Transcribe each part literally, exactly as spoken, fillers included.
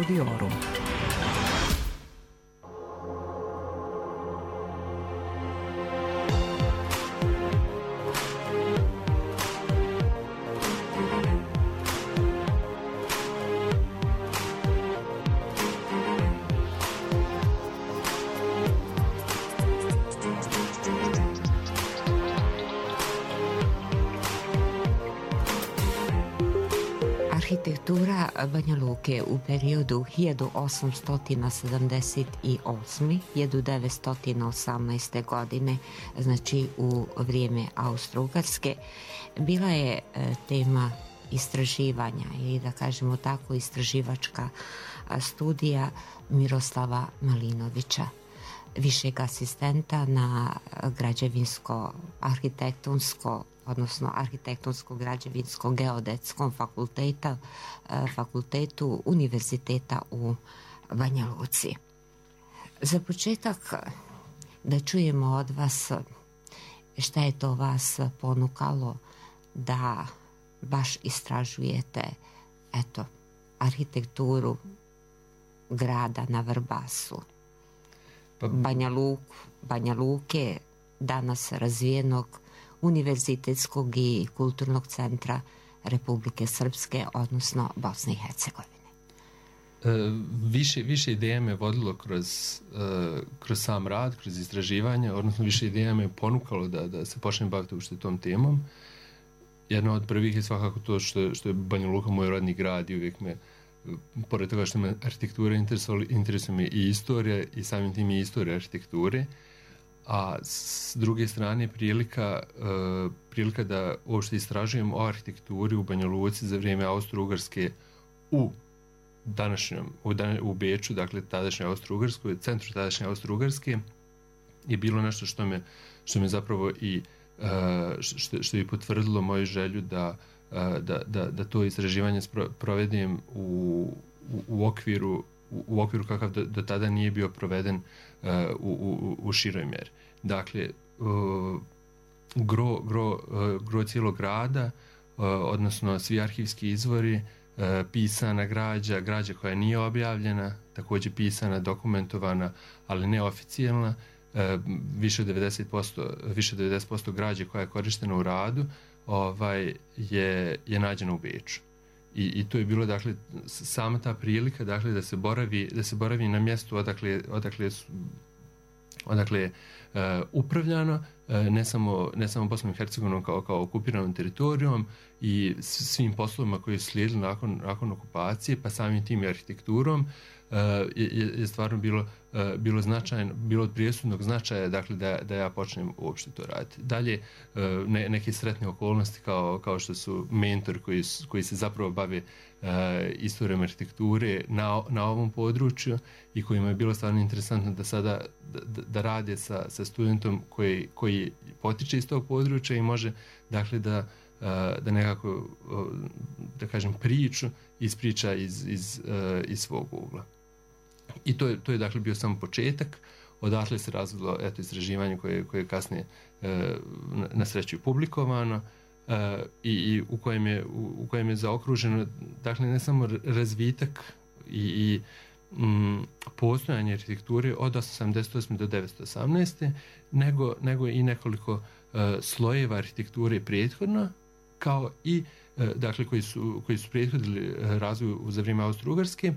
Studiorum. Arhitektura Banja Luke u periodu hiljadu osamsto sedamdeset osme do hiljadu devetsto osamnaeste. godine, znači u vrijeme Austro-Ugarske, bila je tema istraživanja ili da kažemo tako istraživačka studija Miroslava Malinovića, višeg asistenta na građevinsko-arhitektonsko odnosno arhitektonsko-građevinsko-geodetskom fakulteta, fakultetu Univerziteta u Banja Luci. Za početak da čujemo od vas šta je to vas ponukalo da baš istražujete eto, arhitekturu grada na Vrbasu, Banja Luku, Banja Luke, danas razvijenog univerzitetskog i kulturnog centra Republike Srpske, odnosno Bosne i Hercegovine. E, više, više ideja me vodilo kroz, e, kroz sam rad, kroz istraživanje, odnosno više ideja me ponukalo da, da se počnem baviti uopšte tom temom. Jedna od prvih je svakako to što, što je Banja Luka moj rodni grad i uvijek me, pored toga što me arhitektura interesuje me i istorija i samim tim i istorija arhitekture. A s druge strane prilika, uh, prilika da uopšte istražujem o arhitekturi u Banja Luci za vrijeme Austro-Ugarske u današnjom, u, dan, u Beču, dakle tadašnje Austro-Ugarskoj, centru tadašnje Austro-Ugarske, je bilo nešto što me, što me zapravo i uh, što, što je potvrdilo moju želju da, uh, da, da, da to istraživanje provedem u, u, u okviru u okviru kakav do, do tada nije bio proveden uh, u, u, u široj mjeri. Dakle, uh, gro, gro, uh, gro cijelog grada, uh, odnosno svi arhivski izvori, uh, pisana građa, građa koja nije objavljena, također pisana, dokumentovana, ali neoficijelna, uh, više od devedeset posto, više od devedeset posto građe koja je korištena u radu, ovaj, je, je nađena u Beču. I, i to je bilo, dakle, sama ta prilika, dakle, da se boravi, da se boravi na mjestu odakle, odakle, odakle je uh, upravljano, uh, ne samo, ne samo Bosnom i Hercegovinom kao, kao okupiranom teritorijom i svim poslovima koji su slijedili nakon, nakon okupacije, pa samim tim i arhitekturom, uh, je, je stvarno bilo, uh, bilo značajno, bilo od prijesudnog značaja, dakle, da, da ja počnem uopšte to raditi. Dalje, uh, ne, neke sretne okolnosti kao, kao što su mentor koji, koji se zapravo bave uh, istorijom arhitekture na, na ovom području i kojima je bilo stvarno interesantno da sada da, da rade sa, sa studentom koji, koji potiče iz tog područja i može, dakle, da da nekako, da kažem, priču ispriča iz, iz, iz svog ugla. I to je, to je dakle bio samo početak, odatle se razvilo eto istraživanje koje, koje je kasnije na, na sreću publikovano i, i u, kojem je, u, u kojem je zaokruženo, dakle, ne samo razvitak i, i m, postojanje arhitekture od osamdeset osme do devetsto osamnaeste nego, nego i nekoliko uh, slojeva arhitekture prethodno, kao i, uh, dakle, koji su, koji su prethodili razvoju za vrijeme Austro-Ugarske,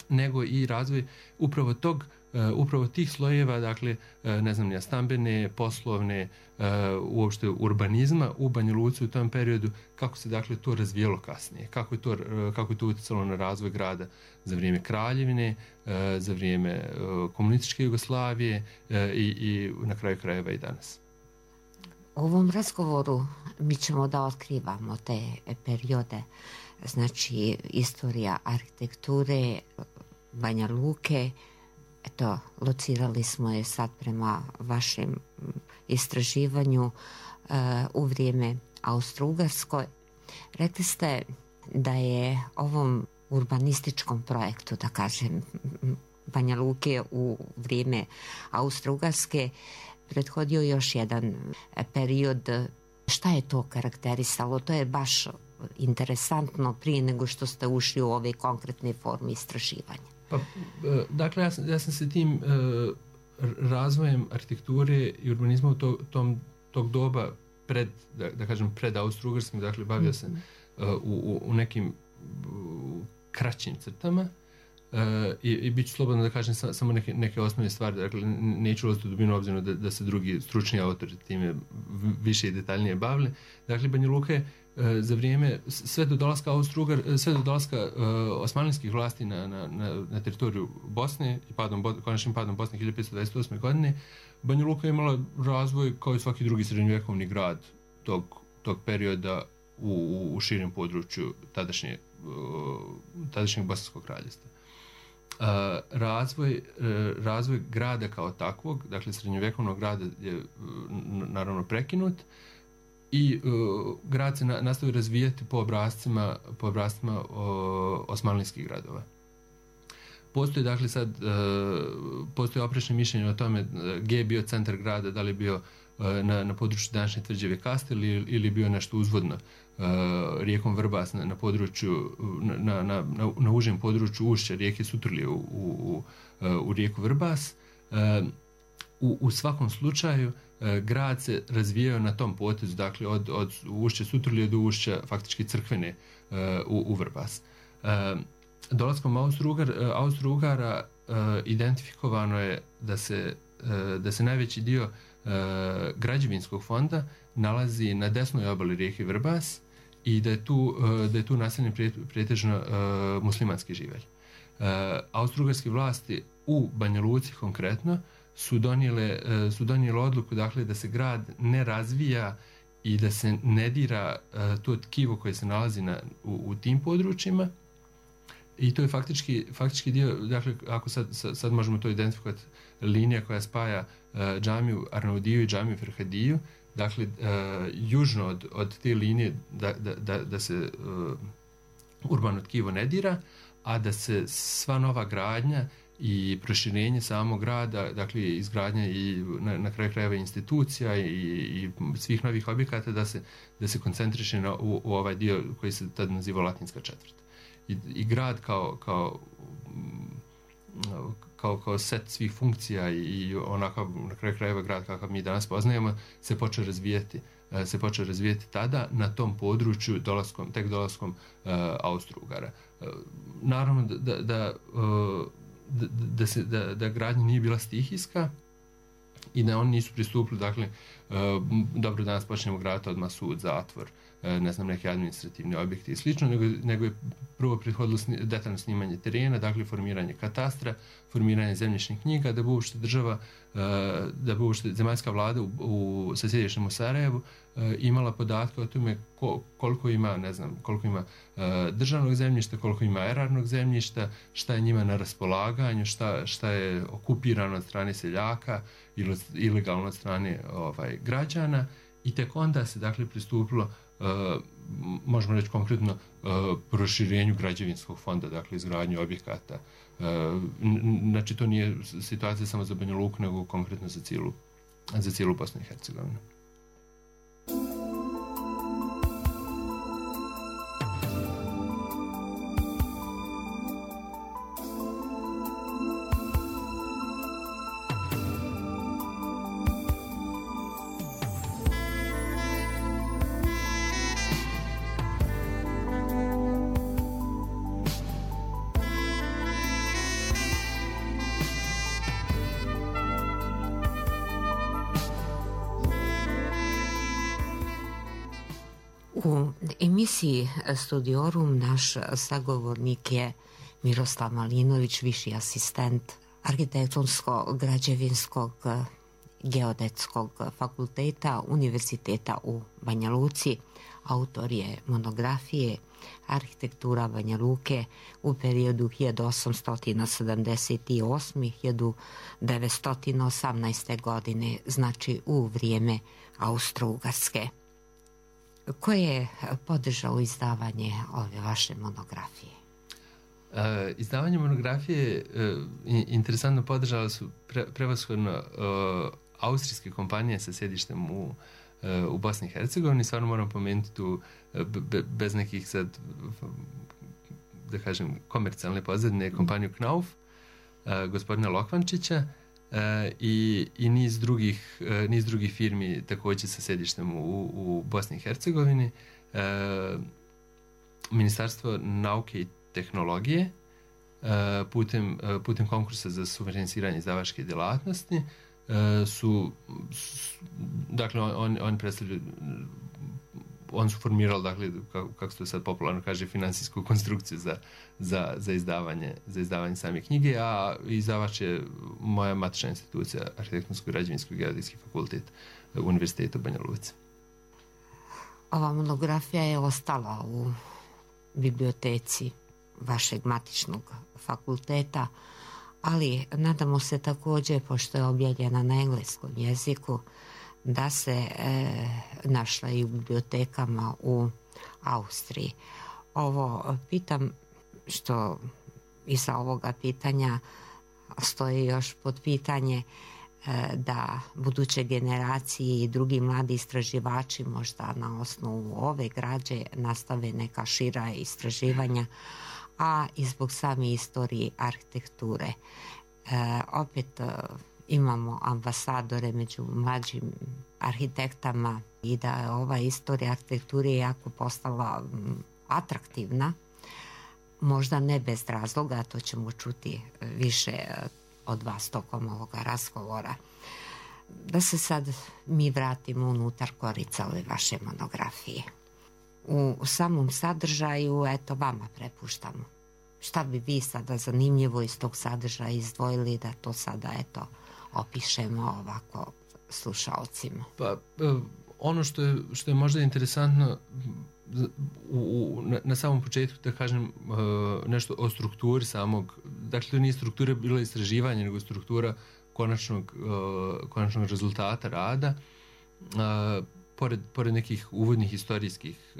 nego i razvoj upravo tog, uh, upravo tih slojeva, dakle, uh, ne znam, ja, stambene, poslovne, uh, uopšte urbanizma u Banja Luci u tom periodu, kako se, dakle, to razvijelo kasnije, kako je to, uh, kako je to utjecalo na razvoj grada za vrijeme Kraljevine, uh, za vrijeme uh, komunističke Jugoslavije uh, i, i na kraju krajeva i danas. U ovom razgovoru mi ćemo da otkrivamo te periode, znači istorija arhitekture Banja Luke. Eto, locirali smo je sad prema vašem istraživanju uh, u vrijeme Austro-Ugarskoj. Rekli ste da je ovom urbanističkom projektu, da kažem, Banja Luke u vrijeme Austro-Ugarske prethodio još jedan period. Šta je to karakterisalo? To je baš interesantno prije nego što ste ušli u ove konkretne forme istraživanja? Pa, dakle, ja sam, ja sam se tim uh, razvojem arhitekture i urbanizma u to, tom, tog doba pred, da, da kažem, pred Austro-Ugarskim, dakle, bavio sam uh, u, u nekim uh, kraćim crtama. Uh, i, i bit ću slobodno da kažem sa, samo neke, neke osnovne stvari, dakle neću ulaziti u dubinu obzirom da, da se drugi stručni autori time više i detaljnije bavili. Dakle, Banja Luka je uh, za vrijeme, sve do dolaska Austro-Ugar, sve do dolaska uh, osmanlijskih vlasti na, na, na, na teritoriju Bosne i padom, konačnim padom Bosne hiljadu petsto dvadeset osme. godine, Banja Luka je imala razvoj kao i svaki drugi srednjovjekovni grad tog, tog perioda u, u, u širem području tadašnje, uh, tadašnjeg Bosanskog kraljevstva. Uh, razvoj, uh, razvoj grada kao takvog, dakle srednjovjekovnog grada je uh, naravno prekinut i uh, grad se na, nastavi razvijati po obrazcima, po obrazcima uh, osmanlijskih gradova. Postoji dakle sad, uh, postoji oprečne mišljenje o tome gdje je bio centar grada, da li je bio uh, na, na području današnje tvrđave Kastel ili, ili bio nešto uzvodno uh, rijekom Vrbas na, na području, na, na, na, na užem području ušća rijeke Sutrlje u, u, u rijeku Vrbas. Uh, u, u svakom slučaju uh, grad se razvijao na tom potezu, dakle od, od ušća Sutrlje do ušća faktički Crkvene uh, u, u Vrbas. Uh, Dolaskom Austro-Ugara, Austro-Ugara uh, identifikovano je da se, uh, da se najveći dio uh, građevinskog fonda nalazi na desnoj obali rijeke Vrbas i da je tu, uh, da je tu naseljen pretežno uh, muslimanski živelj. Uh, Austro-Ugarske vlasti u Banja Luci konkretno su donijele, uh, su donijele odluku, dakle, da se grad ne razvija i da se ne dira uh, to tkivo koje se nalazi na, u, u tim područjima. I to je faktički, faktički dio, dakle, ako sad, sad možemo to identifikovati, linija koja spaja uh, džamiju Arnaudiju i džamiju Ferhadiju, dakle, uh, južno od, od te linije da, da, da, da se uh, urbano tkivo ne dira, a da se sva nova gradnja i proširenje samog grada, dakle, izgradnja i na, na kraju krajeva institucija i, i svih novih objekata, da se, da se koncentriše na, u, u ovaj dio koji se tad naziva Latinska četvrt. I, i grad kao, kao, kao, kao set svih funkcija i onako na kraju krajeva grad kakav mi danas poznajemo se počeo razvijati, se počeo razvijati tada na tom području dolaskom, tek dolaskom uh, Austro-Ugara. Uh, naravno da, da, da, uh, da, da, se, da, da gradnja nije bila stihijska i da oni nisu pristupili, dakle, uh, dobro, danas počnemo graditi odmah sud, zatvor, ne znam, neke administrativne objekte i slično, nego, nego je prvo prethodilo sni, detaljno snimanje terena, dakle formiranje katastra, formiranje zemljišnih knjiga, da bi uopšte država, da bi uopšte zemaljska vlada u, u, sa sjedištem u Sarajevu imala podatke o tome ko, koliko ima, ne znam, koliko ima državnog zemljišta, koliko ima erarnog zemljišta, šta je njima na raspolaganju, šta, šta je okupirano od strane seljaka ili ilegalno od strane ovaj, građana. I tek onda se, dakle, pristupilo, uh, možemo reći konkretno, uh, proširenju građevinskog fonda, dakle, izgradnju objekata. Uh, znači, to nije situacija samo za Banja Luku, nego konkretno za cijelu, za cijelu Bosnu i Hercegovinu. U emisiji Studiorum naš sagovornik je Miroslav Malinović, viši asistent Arhitektonsko-građevinskog geodetskog fakulteta Univerziteta u Banja Luci. Autor je monografije Arhitektura Banja Luke u periodu hiljadu osamsto sedamdeset osme do hiljadu devetsto osamnaeste. godine, znači u vrijeme Austro-Ugarske. Ko je podržao izdavanje ove vaše monografije? Uh, izdavanje monografije uh, interesantno podržala su pre, prevashodno uh, austrijske kompanije sa sjedištem u, uh, u Bosni i Hercegovini. Stvarno moram pomenuti tu be, bez nekih sad, da kažem, komercijalne pozadine, kompaniju Knauf, gospodina Lokvančića, i, i niz drugih, niz drugih firmi također sa sedištem u, u Bosni i Hercegovini. Ministarstvo nauke i tehnologije putem, putem konkursa za sufinansiranje izdavačke djelatnosti su, dakle, on, on predstavljaju, on su formirali, dakle, kako se to sad popularno kaže, finansijsku konstrukciju za, za, za, izdavanje, za izdavanje same knjige, a izdavač je moja matična institucija, Arhitektonsko-građevinski geodetski fakultet Univerziteta u Banja Luci. Ova monografija je ostala u biblioteci vašeg matičnog fakulteta, ali nadamo se također, pošto je objavljena na engleskom jeziku, da se e, našla i u bibliotekama u Austriji. Ovo pitam što iza ovoga pitanja stoji još pod pitanje e, da buduće generacije i drugi mladi istraživači možda na osnovu ove građe nastave neka šira istraživanja, a i zbog same istorije arhitekture. E, opet e, imamo ambasadore među mlađim arhitektama i da je ova istorija arhitekture jako postala atraktivna, možda ne bez razloga, to ćemo čuti više od vas tokom ovoga razgovora. Da se sad mi vratimo unutar korica ove vaše monografije. U samom sadržaju, eto, vama prepuštamo. Šta bi vi sada zanimljivo iz tog sadržaja izdvojili da to sada, eto, opišemo ovako slušalcima? Pa, ono što je, što je možda interesantno u, u, na, na samom početku, da kažem nešto o strukturi samog, dakle to nije struktura bila istraživanje, nego struktura konačnog, konačnog rezultata rada. Pored, pored nekih uvodnih historijskih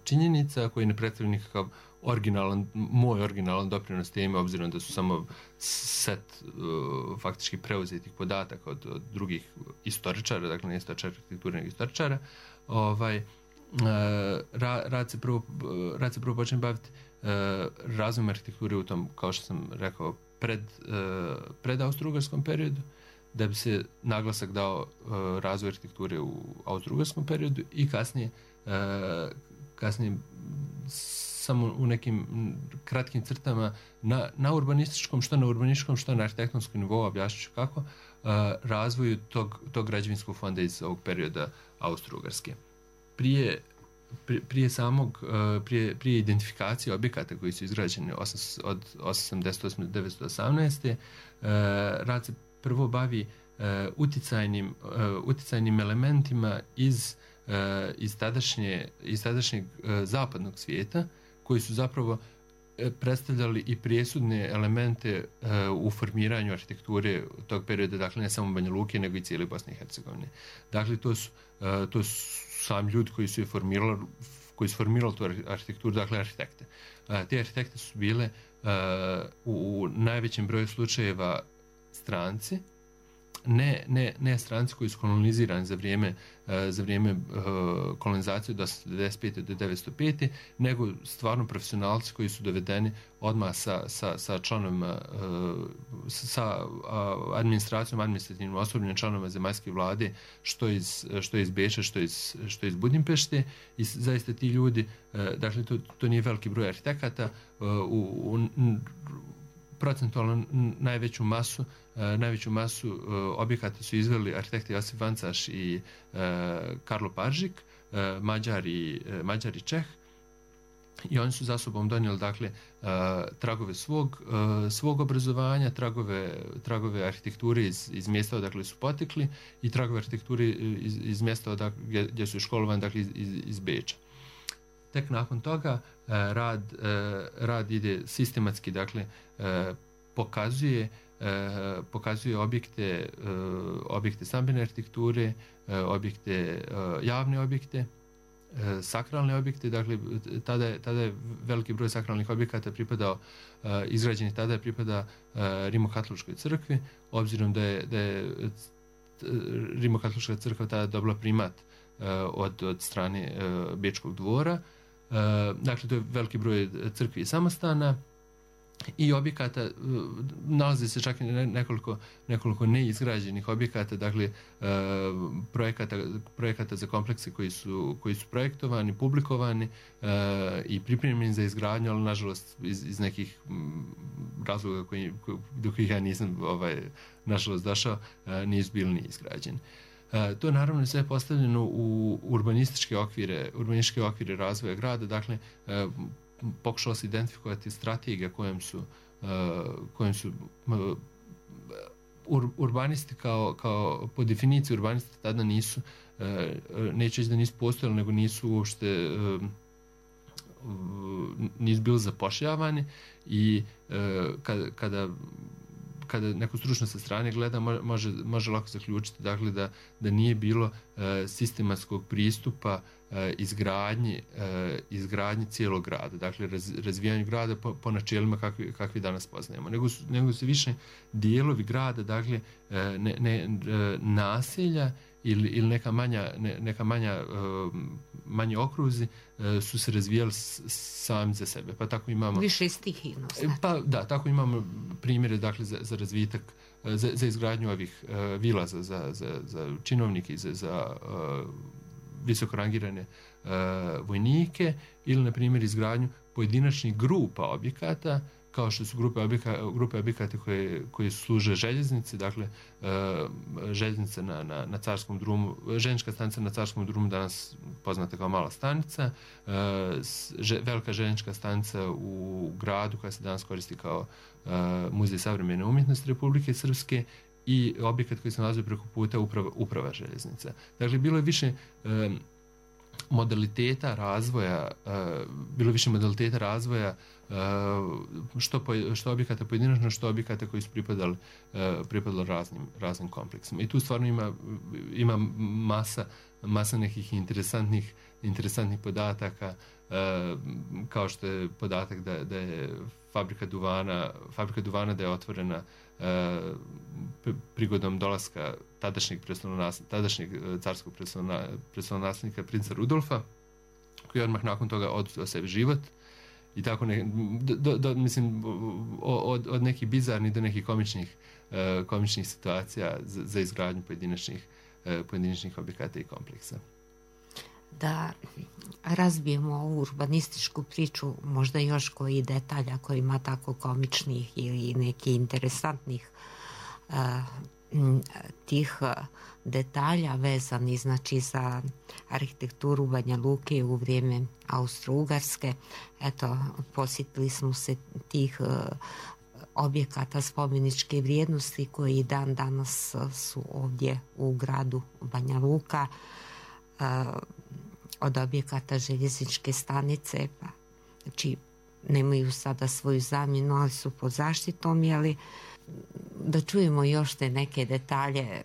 činjenica koji ne predstavljaju nikakav originalan, moj originalan doprinos teme, obzirom da su samo set uh, faktički preuzetih podataka od, od drugih istoričara, dakle ne istoričara arhitekture, nego istoričara. Ovaj, uh, ra, rad, se prvo, rad se prvo počne baviti uh, razvojem arhitekture u tom, kao što sam rekao, pred, uh, pred austro-ugarskom periodu, da bi se naglasak dao uh, razvoj arhitekture u austro-ugarskom periodu i kasnije, uh, kasnije samo u nekim kratkim crtama na, na urbanističkom, što na urbanističkom, što na arhitektonskom nivou, objašnjaću kako, uh, razvoju tog, tog građevinskog fonda iz ovog perioda Austro-Ugarske. Prije, prije, prije samog, uh, prije, prije identifikacije objekata koji su izgrađeni osam, od osamdeset osme do devetsto osamnaeste. Uh, rad se prvo bavi uh, uticajnim, uh, uticajnim elementima iz, uh, iz, tadašnje, iz tadašnjeg uh, zapadnog svijeta, koji su zapravo predstavljali i presudne elemente uh, u formiranju arhitekture tog perioda, dakle ne samo Banja Luke, nego i cijele Bosne i Hercegovine. Dakle, to su, uh, to su sami ljudi koji su je formirali, koji su formirali tu arhitekturu, dakle arhitekte. Uh, te arhitekte su bile uh, u, u najvećem broju slučajeva stranci, ne, ne, ne stranci koji su kolonizirani za vrijeme, uh, za vrijeme uh, kolonizacije od osamsto devedeset pete do devetsto pete, nego stvarno profesionalci koji su dovedeni odmah sa, sa, sa članovima, uh, sa uh, administracijom, administrativnim osobljem članova zemaljske vlade, što iz, što iz Beča, što iz, što iz Budimpešte, i zaista ti ljudi, uh, dakle to, to nije veliki broj arhitekata, uh, u, u procentualno najveću masu uh, najveću masu uh, objekata su izveli arhitekti Josip Vancaš i uh, Karlo Paržik, uh, Mađar i uh, Mađar i Čeh, i oni su za sobom donijeli, dakle, uh, tragove svog uh, svog obrazovanja, tragove tragove arhitekture iz, iz mjesta odakle su potekli i tragove arhitekture iz, iz mjesta odakle gdje, gdje su školovani, dakle iz, iz, iz Beča. Tek nakon toga rad, rad ide sistematski, dakle pokazuje, pokazuje objekte, objekte stambene arhitekture, objekte, javne objekte, sakralne objekte, dakle tada je, tada je veliki broj sakralnih objekata pripadao, izgrađeni tada je pripada Rimokatoličkoj crkvi, obzirom da je, da je Rimokatolička crkva tada dobila primat od, od strane Bečkog dvora. Dakle, to je veliki broj crkvi i samostana i objekata, nalazi se čak i nekoliko, nekoliko neizgrađenih objekata, dakle projekata, projekata za komplekse koji su, koji su projektovani, publikovani i pripremljeni za izgradnju, ali nažalost iz, iz nekih razloga koji, do kojih ja nisam ovaj, nažalost došao, nisu bili ni izgrađeni. To je naravno sve postavljeno u urbanističke okvire, urbanističke okvire razvoja grada, dakle pokušalo se identifikovati strategija kojom su, kojom su urbanisti kao, kao po definiciji urbanisti tada nisu, neću reći da nisu postojali, nego nisu uopšte nisu bili zapošljavani i kada, kada kada neko stručno sa strane gleda, može, može lako zaključiti dakle, da, da nije bilo e, sistematskog pristupa e, izgradnji, e, izgradnji cijelog grada, dakle raz, razvijanju grada po, po načelima kakvi, kakvi danas poznajemo. Nego su, nego su više dijelovi grada, dakle e, ne, ne, naselja ili, ili neka manja, ne, neka manja uh, manji okruzi uh, su se razvijali s, sami za sebe. Pa tako imamo više stihijno. Znači. Pa da, tako imamo primjere dakle za, za razvitak, uh, za, za izgradnju ovih uh, vila za, za, za, za činovnike i za, za uh, visoko rangirane uh, vojnike ili na primjer izgradnju pojedinačnih grupa objekata kao što su grupe objekata, grupe objekata koje, koje služe željeznici, dakle željeznica na, na, na Carskom drumu, željeznička stanica na Carskom drumu danas poznata kao mala stanica, že, velika željeznička stanica u gradu koja se danas koristi kao Muzej savremene umjetnosti Republike Srpske i objekat koji se nalazi preko puta uprava, uprava željeznica. Dakle, bilo je više modaliteta razvoja, bilo više modaliteta razvoja što, po, što objekata pojedinačno, što objekata koji su pripadali, pripadali raznim, raznim kompleksima. I tu stvarno ima, ima masa, masa nekih interesantnih, interesantnih podataka, kao što je podatak da, da je fabrika duvana, fabrika duvana da je otvorena prigodom dolaska tadašnjeg, tadašnjeg carskog prestolonaslednika princa Rudolfa, koji je odmah nakon toga oduzeo sebi život. I tako ne, do, do, mislim, od, od nekih bizarnih do nekih komičnih, komičnih situacija za, za izgradnju pojedinačnih, pojedinačnih objekata i kompleksa. Da razbijemo ovu urbanističku priču, možda još koji detalja koji ima tako komičnih ili neki interesantnih uh, tih detalja vezani znači za arhitekturu Banja Luke u vrijeme Austro-Ugarske. Eto, posjetili smo se tih uh, objekata spomeničke vrijednosti koji dan danas su ovdje u gradu Banja Luka. Uh, od objekata željezničke stanice, pa znači nemaju sada svoju zamjenu, ali su pod zaštitom, jeli da čujemo još te neke detalje.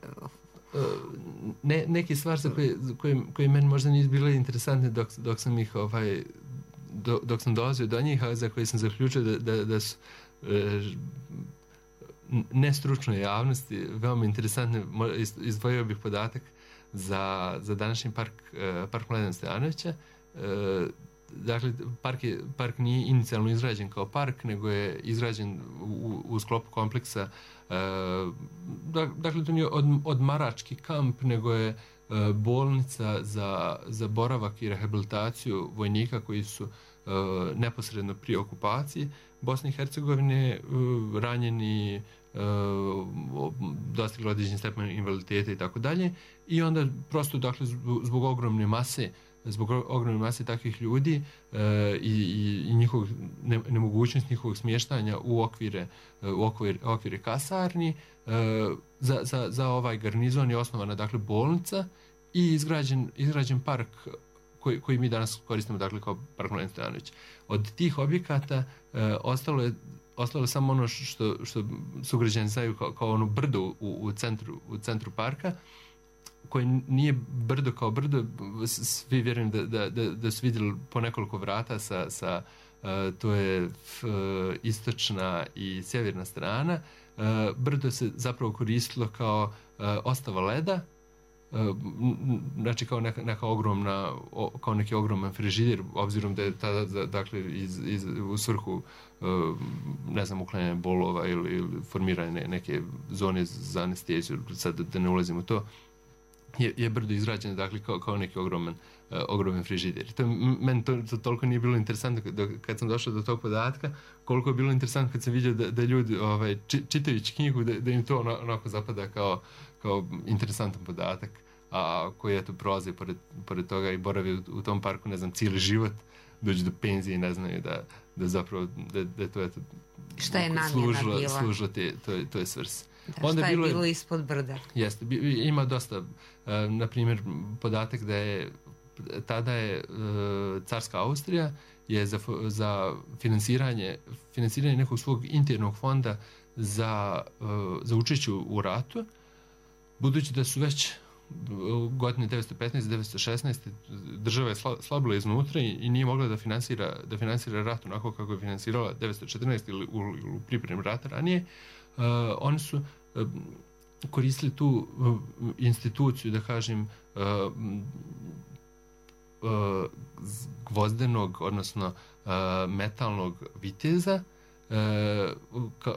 Ne, neke stvari koje, koje, koje meni možda nisu bile interesantne dok, dok sam ih ovaj, dok, dok sam dolazio do njih, a za koje sam zaključio da, da, da su e, nestručnoj javnosti veoma interesantne. Izdvojio bih podatak za, za današnji park, park Mladena Stojanovića. Dakle, park, je, park nije inicijalno izgrađen kao park, nego je izgrađen u, u sklopu kompleksa. Dakle, to nije od, odmarački kamp, nego je bolnica za, za boravak i rehabilitaciju vojnika koji su neposredno prije okupacije Bosne i Hercegovine ranjeni, dostigli određeni stepen invaliditeta i tako dalje. I onda prosto, dakle, zbog, zbog ogromne mase zbog ogromne mase takvih ljudi e, i, i njihovog ne, nemogućnost njihovog smještanja u okvire, u okvire, okvire kasarni, e, za, za, za ovaj garnizon je osnovana dakle bolnica i izgrađen, izgrađen park koji, koji mi danas koristimo dakle kao park Mladen Stojanović. Od tih objekata e, ostalo je ostalo samo ono što, što sugrađani znaju kao, kao ono brdo u, u, centru, u centru parka, koje nije brdo kao brdo, svi vjerujem da, da, da, da su vidjeli po nekoliko vrata sa, sa uh, to je f, uh, istočna i sjeverna strana. Uh, brdo se zapravo koristilo kao, uh, ostava leda, znači kao neka, neka ogromna, kao neki ogroman frižider, obzirom da je tada, dakle, iz, iz, u svrhu ne znam, uklanjanja bolova ili, ili formiranje neke zone za anesteziju, sad da ne ulazim u to, je, je brdo izrađeno, dakle, kao, kao neki ogroman, uh, ogroman frižider. To, meni to, to toliko nije bilo interesantno do, kad sam došao do tog podatka, koliko je bilo interesantno kad sam vidio da, da ljudi ovaj, či, čitajući knjigu, da, da im to onako zapada kao, kao interesantan podatak, a koji eto prolazi pored, pored toga i boravi u, u tom parku, ne znam, cijeli život, dođu do penzije i ne znaju da, da zapravo, da, da je to eto šta je namjena služilo, bila? Služilo te, to, to je svrsi. Da, onda šta je bilo, bilo ispod brda? Jeste, ima dosta, uh, na primjer, podatak da je tada je uh, carska Austrija je za, za finansiranje, finansiranje nekog svog internog fonda za, uh, za učešće u ratu, budući da su već godine devetsto petnaeste devetsto šesnaeste država je slabila iznutra i, i nije mogla da finansira, da finansira rat onako kako je finansirala devetsto četrnaeste ili u, ili u pripremi rata ranije. Uh, oni su uh, koristili tu uh, instituciju, da kažem, uh, uh, gvozdenog, odnosno uh, metalnog viteza, uh, ka,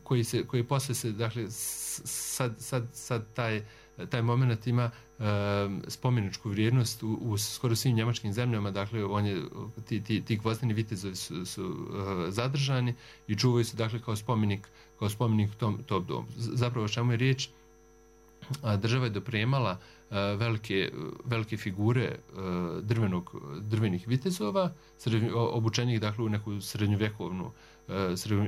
koji se, koji posle se, dakle, sad, sad, sad taj taj moment ima uh, spomeničku vrijednost u, u skoro svim njemačkim zemljama, dakle on je, ti, ti, ti gvozdeni vitezovi su, su uh, zadržani i čuvaju se, dakle, kao spomenik, kao spomenik tom, tom domu. Zapravo o čemu je riječ, a, država je dopremala uh, velike, velike figure uh, drvenog, drvenih vitezova, srednj, obučenih, dakle, u neku srednjovjekovnu, uh,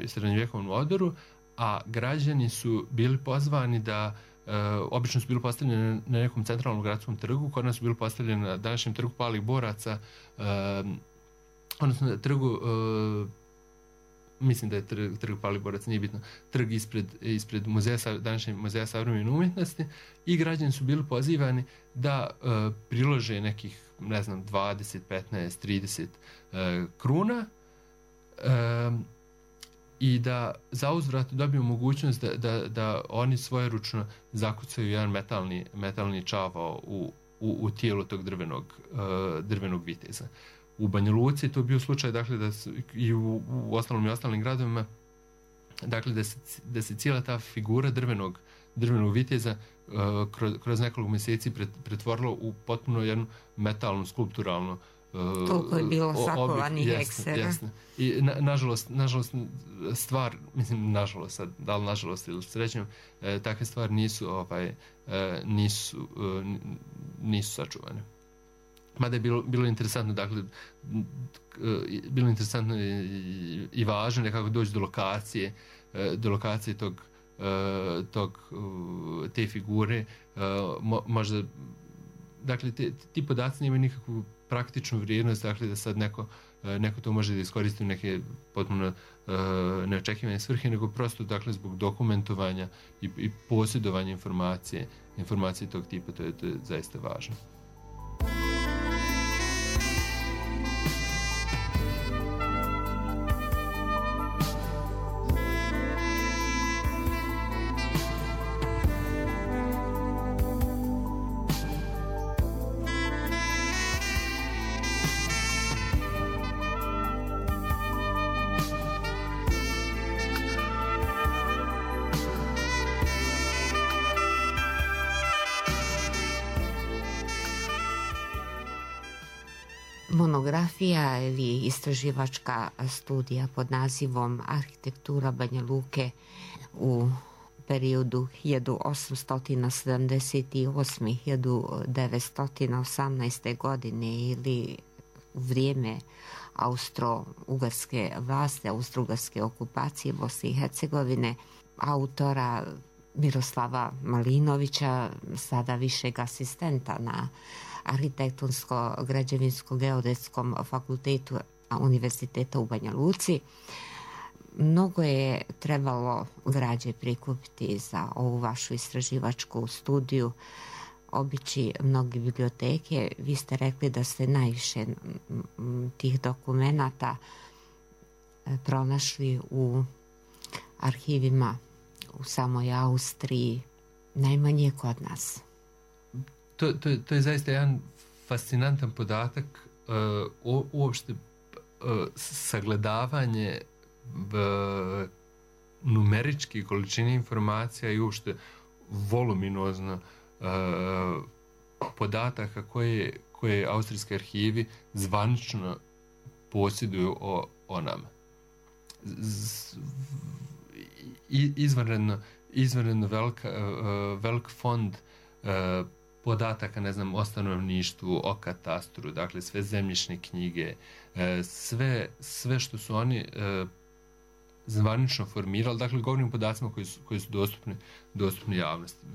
srednjovjekovnu odoru, a građani su bili pozvani da Uh, obično su bili postavljeni na nekom centralnom gradskom trgu, kod nas su bili postavljeni na današnjem trgu palih boraca, uh, odnosno na trgu, uh, mislim da je trg, trg palih boraca, nije bitno, trg ispred, ispred muzeja, današnjeg muzeja savremene umjetnosti, i građani su bili pozivani da uh, prilože nekih, ne znam, dvadeset, petnaest, trideset uh, kruna, uh, i da za uzvrat dobiju mogućnost da, da, da oni svojeručno zakucaju jedan metalni, metalni čavao u, u, u tijelu tog drvenog, uh, drvenog viteza. U Banja Luci je to bio slučaj, dakle, da su, i u, u ostalom i ostalim gradovima, dakle, da se, da se cijela ta figura drvenog, drvenog viteza uh, kroz, kroz nekoliko mjeseci pret, pretvorila u potpuno jednu metalnu, skulpturalnu Uh, toliko je bilo sakovanih eksera. I na, nažalost, nažalost stvar, mislim nažalost sad, da li nažalost ili srećom, e, takve stvari nisu, ovaj, e, nisu, e, nisu sačuvane. Mada je bilo, bilo interesantno, dakle, e, bilo interesantno i, i važno nekako doći do lokacije, e, do lokacije tog, e, tog e, te figure, e, mo, možda, dakle, te, ti podaci nemaju nikakvu praktičnu vrijednost, dakle, da sad neko, neko to može da iskoristi u neke potpuno uh, neočekivane svrhe, nego prosto, dakle, zbog dokumentovanja i, i posjedovanja informacije, informacije tog tipa, to je, to je zaista važno. Monografija ili istraživačka studija pod nazivom Arhitektura Banja Luke u periodu hiljadu osamsto sedamdeset osam do hiljadu devetsto osamnaeste. godine ili u vrijeme austro-ugarske vlasti, austro-ugarske okupacije Bosne i Hercegovine, autora Miroslava Malinovića, sada višeg asistenta na Arhitektonsko-građevinsko-geodetskom fakultetu Univerziteta u Banja Luci. Mnogo je trebalo građe prikupiti za ovu vašu istraživačku studiju, obići mnoge biblioteke. Vi ste rekli da ste najviše tih dokumenata pronašli u arhivima u samoj Austriji, najmanje kod nas. To, to, to je zaista jedan fascinantan podatak, uh, uopšte uh, sagledavanje uh, numeričke količine informacija i uopšte voluminozno uh, podataka koje, koje austrijski arhivi zvanično posjeduju o, o nama. Z, izvanredno, izvanredno velika, uh, velik fond uh, podataka, ne znam, o stanovništvu, o katastru, dakle sve zemljišne knjige, uh, sve, sve što su oni uh, zvanično formirali, dakle govorim o podacima koji su, koji su dostupni, dostupni javnosti.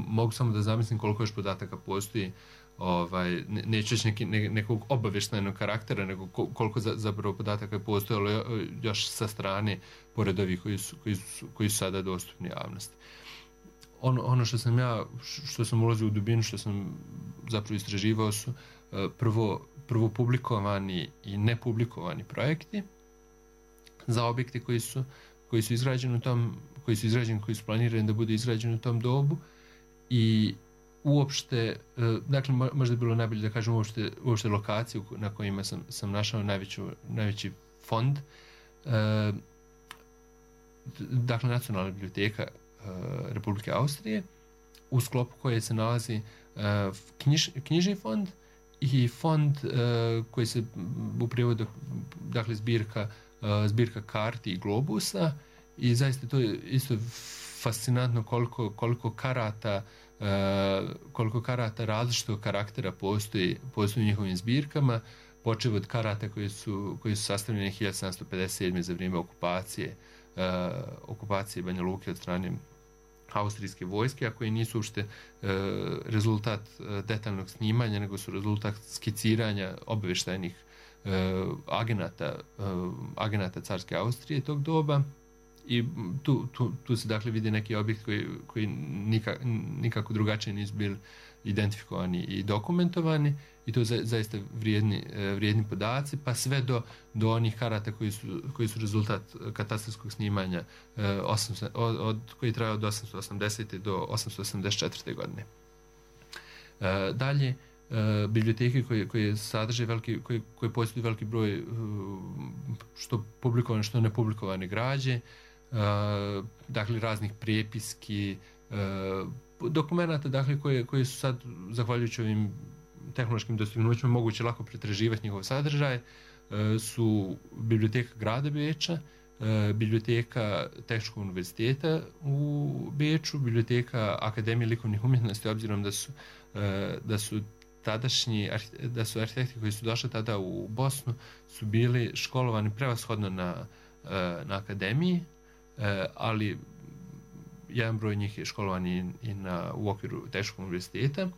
Mogu samo da zamislim koliko još podataka postoji, ovaj, neću reći neki, ne, nekog obavještajnog karaktera, nego koliko za, zapravo podataka je postojalo još sa strane, pored ovih koji su, koji su, koji su sada dostupni javnosti. Ono, ono što sam ja, što sam ulazio u dubinu, što sam zapravo istraživao su prvo, prvo publikovani i nepublikovani projekti za objekte koji su, koji su izgrađeni u tom, koji su izgrađeni, koji su planirani da budu izgrađeni u tom dobu i uopšte, dakle možda je bilo najbolje da kažem uopšte, uopšte lokaciju na kojima sam, sam našao najveću, najveći fond. Dakle, Nacionalna biblioteka Republike Austrije, u sklopu koje se nalazi knjiž, knjižni fond i fond koji se u prijevodu, dakle zbirka zbirka karti i globusa i zaista to je isto fascinantno koliko, koliko karata koliko karata različitog karaktera postoji, postoji u njihovim zbirkama, počev od karata koji su, koji su sastavljeni hiljadu sedamsto pedeset sedme. za vrijeme okupacije okupacije Banja Luke od strane austrijske vojske, a koji nisu uopšte rezultat detaljnog snimanja, nego su rezultat skiciranja obavještajnih agenata, agenata carske Austrije tog doba i tu, tu, tu se dakle vidi neki objekt koji, koji nikak, nikako drugačije nisu bili identifikovani i dokumentovani i to za, zaista vrijedni, vrijedni podaci, pa sve do, do onih karata koji su, koji su rezultat katastarskog snimanja osamsto, od, od, koji traje od osamsto osamdesete. do osamsto osamdeset četvrte. godine. Dalje, Uh, biblioteke koje, koje sadrže veliki, koje, koje posjeduju veliki broj uh, što publikovane, što nepublikovane građe, uh, dakle raznih prepiski, uh, dokumenata, dakle koje, koje su sad, zahvaljujući ovim tehnološkim dostignućima, moguće lako pretraživati njihov sadržaj, uh, su biblioteka grada Beča, uh, biblioteka Tehničkog univerziteta u Beču, biblioteka Akademije likovnih umjetnosti, obzirom da su, uh, da su tadašnji, da su arhitekti koji su došli tada u Bosnu su bili školovani prevashodno na, na akademiji, ali jedan broj njih je školovan i, i na, u okviru Tehničkog univerziteta.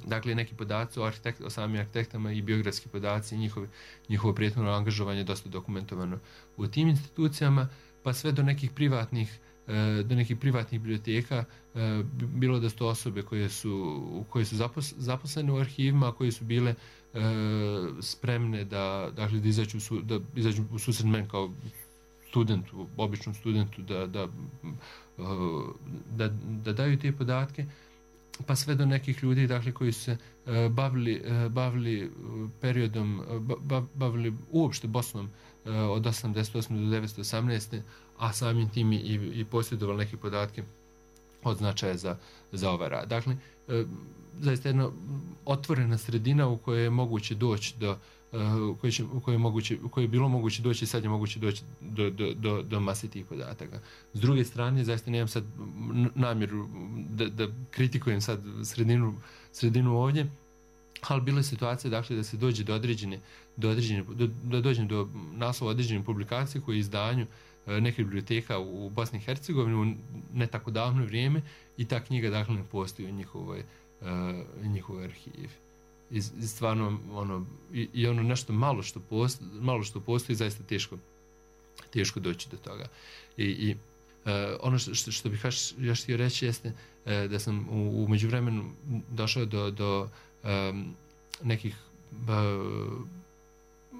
Dakle, neki podaci o, arhitekt, o samim arhitektama i biografski podaci i njihovo, njihovo prethodno angažovanje je dosta dokumentovano u tim institucijama, pa sve do nekih privatnih do nekih privatnih biblioteka, bilo da su to osobe koje su, koje su zaposlene u arhivima, koje su bile spremne da, dakle, da, izađu, da izađu u susret meni kao studentu, običnom studentu, da, da, da, da daju te podatke, pa sve do nekih ljudi, dakle, koji su se bavili, bavili periodom, bavili uopšte Bosnom od osamdeset osme. do devetsto osamnaeste. a samim tim i, i posjedovali neke podatke od značaja za, za ovaj rad. Dakle, e, zaista jedna otvorena sredina u kojoj je moguće doći do, u kojoj, će, u kojoj, je, moguće, u kojoj je bilo moguće doći i sad je moguće doći do, do, do, do mase tih podataka. S druge strane, zaista nemam sad namjeru da, da kritikujem sad sredinu, sredinu ovdje, ali bilo je situacija, dakle, da se dođe do određene, do određene, do, da dođe do naslova određene publikacije koje je izdanju neke biblioteka u Bosni i Hercegovini u ne tako davno vrijeme i ta knjiga, dakle, ne postoji u njihovoj, uh, njihovoj arhivi. I, i stvarno, ono, i, i ono nešto malo što postoji, malo što postoji, zaista teško, teško doći do toga. I, i uh, ono što, što, što bih još htio reći jeste uh, da sam u, u međuvremenu došao do, do um, nekih uh,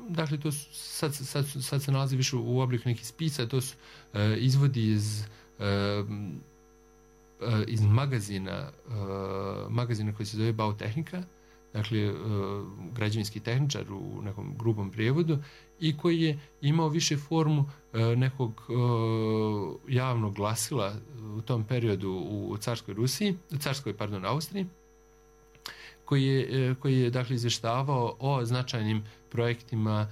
dakle, to su, sad, sad, sad se nalazi više u obliku nekih spisa, to su uh, izvodi iz uh, iz magazina, magazina koji se zove Bautehnika, dakle građevinski tehničar u nekom grubom prijevodu, i koji je imao više formu nekog javnog glasila u tom periodu u carskoj Rusiji, carskoj, pardon, Austriji, koji je, koji je dakle izvještavao o značajnim projektima,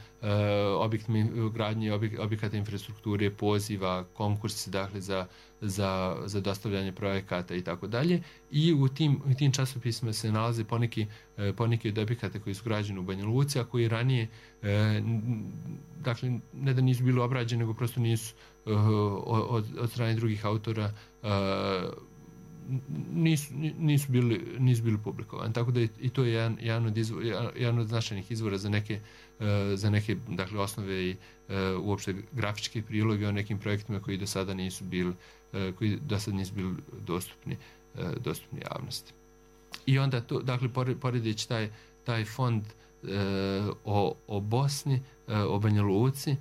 objektima gradnje, objekata infrastrukture, poziva, konkursi dakle za, za, za dostavljanje projekata i tako dalje. I u tim, u tim časopisima se nalaze poneki, poneki od objekata koji su građeni u Banja Luci, a koji ranije dakle ne da nisu bili obrađeni, nego prosto nisu od, od strane drugih autora nisu, nisu, bili, nisu bili publikovani. Tako da i to je jedan, jedan, od, izvor, jedan od značajnih izvora za neke, za neke dakle, osnove i uopšte grafičke priloge o nekim projektima koji do sada nisu bili, koji do sada nisu bili dostupni, dostupni javnosti. I onda to, dakle, poredeći taj, taj fond o, o Bosni, o Banja Luci,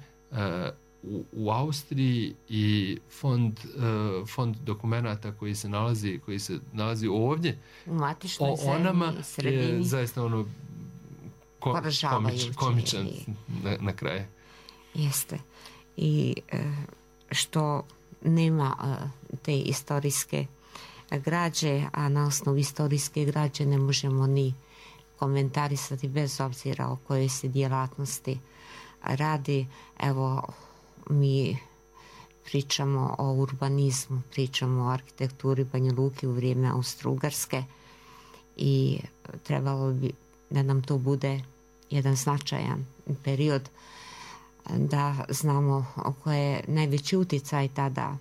U, u Austriji i fond, uh, fond dokumenata koji se nalazi, koji se nalazi ovdje u matičnoj o onama sredini je zaista ono ko, komič, komičan na, na kraju. Jeste. I uh, što nema uh, te istorijske građe, a na osnovu istorijske građe ne možemo ni komentarisati bez obzira o kojoj se djelatnosti radi. Evo, mi pričamo o urbanizmu, pričamo o arhitekturi Banja Luke u vrijeme Austro-Ugarske i trebalo bi da nam to bude jedan značajan period, da znamo koji je najveći utjecaj tada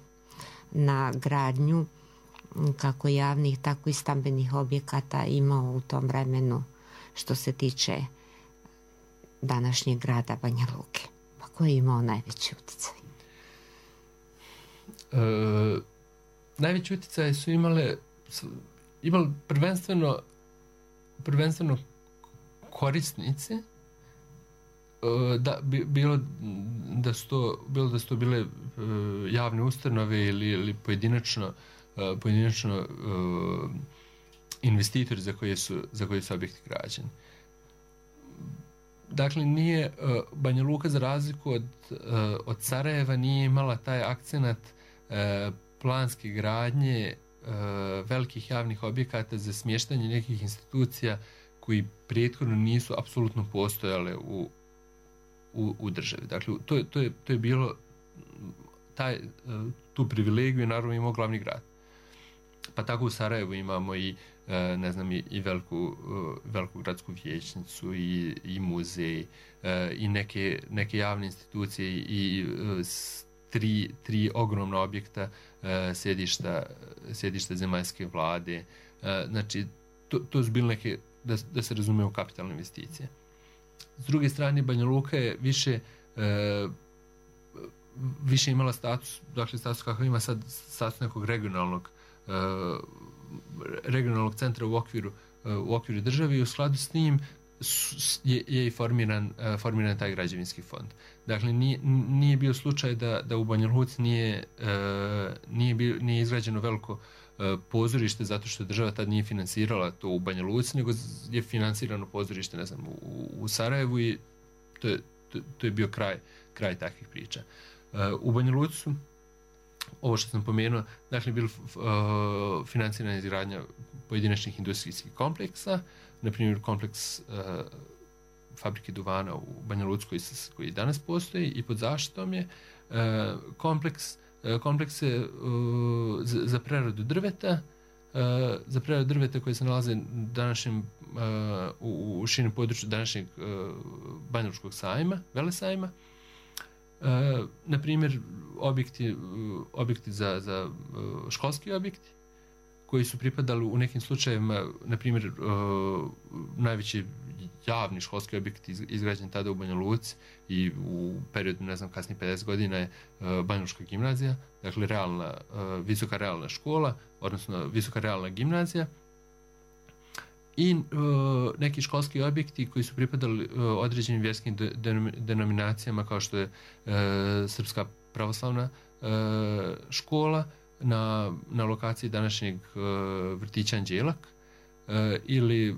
na gradnju kako javnih, tako i stambenih objekata imao u tom vremenu što se tiče današnjeg grada Banja Luke. Koji je imao najveći utjecaj? E, najveći utjecaj su imale, su imali prvenstveno, prvenstveno korisnici, e, da, bi, bilo, da su to, bilo da su to bile e, javne ustanove ili, ili pojedinačno, e, pojedinačno e, investitori za koje su, za koje su objekti građeni. Dakle, nije uh, Banja Luka za razliku od, uh, od Sarajeva nije imala taj akcenat uh, planske gradnje uh, velikih javnih objekata za smještanje nekih institucija koji prethodno nisu apsolutno postojale u, u, u državi. Dakle, to, to, je, to je bilo taj, uh, tu privilegiju naravno imao glavni grad. Pa tako u Sarajevu imamo i ne znam i, i veliku, veliku gradsku vijećnicu i, i muzej i neke, neke javne institucije i tri, tri ogromna objekta sjedišta, sjedišta zemaljske vlade. Znači, to, to su bile neke, da, da se razume, u kapitalne investicije. S druge strane, Banja Luka je više više imala status, dakle status kakav ima sad, status nekog regionalnog regionalnog centra u okviru, u okviru države i u skladu s njim je, je i formiran, formiran taj građevinski fond. Dakle, nije, nije bio slučaj da, da u Banja Luci nije, nije, bio, nije izgrađeno veliko pozorište zato što država tad nije finansirala to u Banja Luci, nego je finansirano pozorište, ne znam, u, u Sarajevu i to je, to, to je bio kraj, kraj takvih priča. U Banja Luci ovo što sam pomenuo, dakle, bilo uh, financirana izgradnja pojedinačnih industrijskih kompleksa, na primjer kompleks uh, fabrike duvana u Banja Luci koji, koji danas postoji i pod zaštitom je uh, kompleks, uh, komplekse uh, za, za preradu drveta, uh, za preradu drveta koje se nalaze današnjem, uh, u, u širem području današnjeg uh, Banjalučkog sajma, Velesajma. Uh, na primjer, objekti, uh, objekti za, za uh, školski objekti koji su pripadali u nekim slučajevima, na primjer, uh, najveći javni školski objekt iz, izgrađen tada u Banja Luci i u periodu, ne znam, kasnije pedeset godina je uh, Banjalučka gimnazija, dakle realna, uh, visoka realna škola, odnosno visoka realna gimnazija. I uh, neki školski objekti koji su pripadali uh, određenim vjerskim de, de, denominacijama kao što je uh, Srpska pravoslavna uh, škola, na, na lokaciji današnjeg uh, vrtića Anđelak uh, ili uh,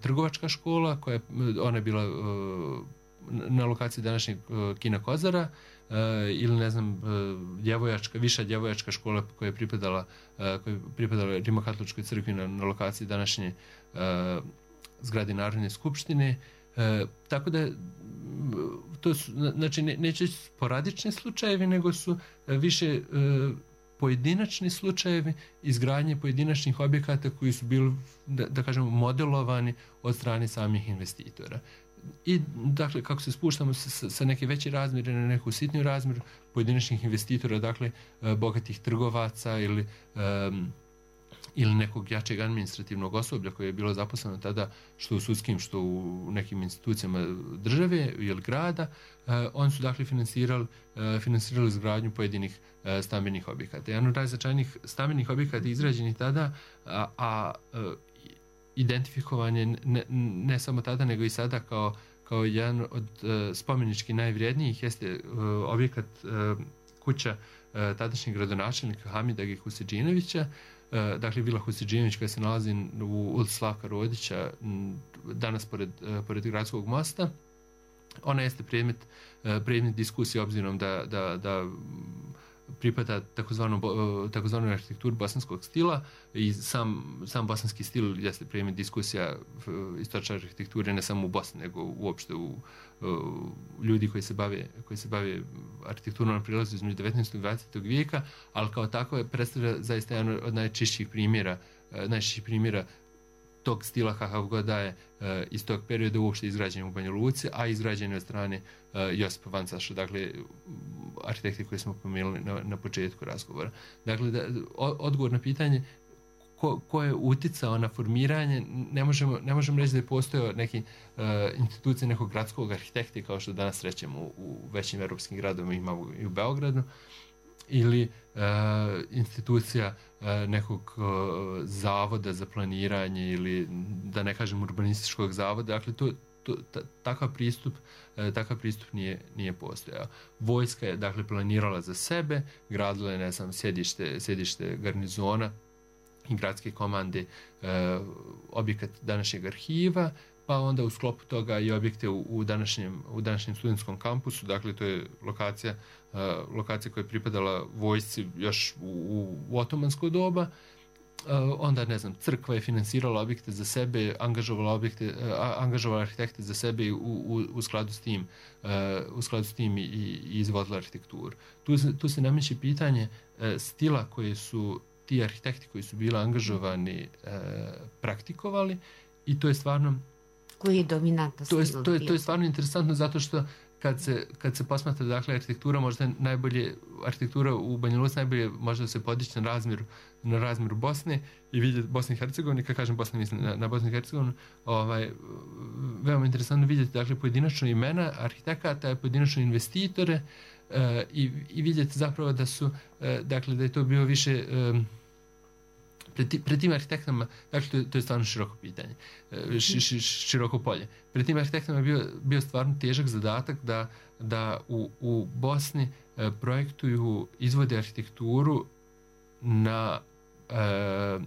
trgovačka škola koja je, ona je bila uh, na lokaciji današnjeg uh, kina Kozara uh, ili ne znam uh, djevojačka, viša djevojačka škola koja je pripadala, uh, koja je pripadala Rimokatoličkoj crkvi na, na lokaciji današnje uh, zgrade Narodne skupštine. E, tako da to su, znači ne, neće sporadični slučajevi, nego su više e, pojedinačni slučajevi izgradnje pojedinačnih objekata koji su bili, da, da kažemo, modelovani od strane samih investitora. I dakle, kako se spuštamo sa, sa neke veće razmjere na neku sitniju razmjeru pojedinačnih investitora, dakle e, bogatih trgovaca ili e, ili nekog jačeg administrativnog osoblja koje je bilo zaposleno tada što u sudskim, što u nekim institucijama države ili grada, eh, oni su dakle finansirali, eh, finansirali izgradnju pojedinih eh, stambenih objekata. Jedan od najznačajnijih stambenih objekata izgrađenih tada, a, a eh, identifikovan je ne, ne samo tada nego i sada kao, kao jedan od eh, spomenički najvrijednijih jeste eh, objekat eh, kuća eh, tadašnjeg gradonačelnika Hamida Huseđinovića, dakle Vila Huseđinović koja se nalazi u ulici Slavka Rodića, danas pored, pored gradskog mosta. Ona jeste predmet, predmet diskusije obzirom da, da, da pripada takozvanoj arhitekturi bosanskog stila i sam, sam bosanski stil jeste predmet diskusija istočne arhitekture ne samo u Bosni nego uopšte u, u ljudi koji se bave, koji se bave arhitekturom na prilazu između devetnaestog i dvadesetog vijeka, ali kao tako je predstavlja zaista jedan od najčišćih primjera, najčišćih primjera tog stila kakav god da je uh, iz tog perioda uopšte izgrađen u Banja Luci, a izgrađen od strane uh, Josipa Vancaša, dakle arhitekti koji smo pomenuli na, na početku razgovora. Dakle, da, odgovor na pitanje ko, ko je uticao na formiranje, ne možemo, ne možemo reći da je postojao neki uh, institucije nekog gradskog arhitekta kao što danas rećemo u, u većim europskim gradovima, imamo i u Beogradu, ili uh, institucija uh, nekog uh, zavoda za planiranje ili da ne kažem urbanističkog zavoda. Dakle, to, to, ta, takav pristup, uh, takav pristup nije, nije postojao. Vojska je dakle planirala za sebe, gradila je ne znam, sjedište, sjedište garnizona i gradske komande, uh, objekat današnjeg arhiva, pa onda u sklopu toga i objekte u, u, današnjem, u današnjem studentskom kampusu, dakle to je lokacija, uh, lokacija koja je pripadala vojsci još u, u otomansko doba. Uh, onda, ne znam, crkva je finansirala objekte za sebe, angažovala, objekte, uh, angažovala arhitekte za sebe i u, u, u skladu s tim, uh, u skladu s tim i, i izvodila arhitekturu. Tu se, tu se nameće pitanje uh, stila koje su ti arhitekti koji su bili angažovani uh, praktikovali i to je stvarno koji je dominantan to je, to je, to je stvarno interesantno zato što kad se, kad se posmatra dakle arhitektura, možda najbolje arhitektura u Banja Luci najbolje možda se podići na razmjeru na razmjeru Bosne i vidjeti Bosne i Hercegovine, kad kažem Bosne mislim na, na Bosnu i Hercegovinu, ovaj, veoma interesantno vidjeti dakle pojedinačno imena arhitekata, pojedinačno investitore uh, i, i vidjeti zapravo da su uh, dakle da je to bio više um, Pred, pred tim arhitektama, dakle to je, to je stvarno široko pitanje, š, š, široko polje. Pred tim arhitektama je bio, bio stvarno težak zadatak da, da u, u Bosni e, projektuju, izvode arhitekturu na, e,